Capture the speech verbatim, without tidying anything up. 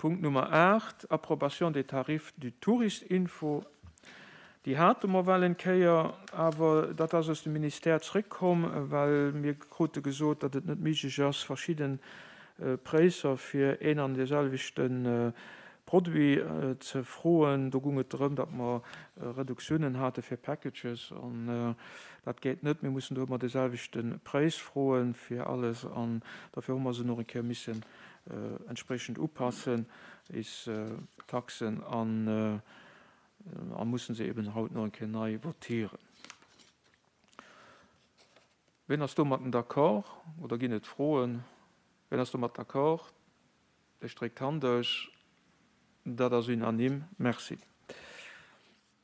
Punkt Nummer aacht, Approbation des tarifs du Tourist-Info. Déi hate mer well eng Kéier, awer dat ass aus dem Ministère zréckkomm, well mir krute gesot, datt et net méiglech ass, verschidde Präisser fir een an dee selwechte Produit ze froen. Do gung et drëm, datt mer Reduktiounen hate fir Packages, an dat geet net. Mir mussen do ëmmer dee selwechte Präis froe fir alles, an dofir hu mer se nach eng Kéier missen entsprechend upassen, is Taxen, an a mussen se eben haut nach eng Kéier nei votieren. Wien ass domatten d'accord oder ginn et Froen? Wien ass domat d'accord? Ech streck d'Hand aus. Dat ass unanime. Merci.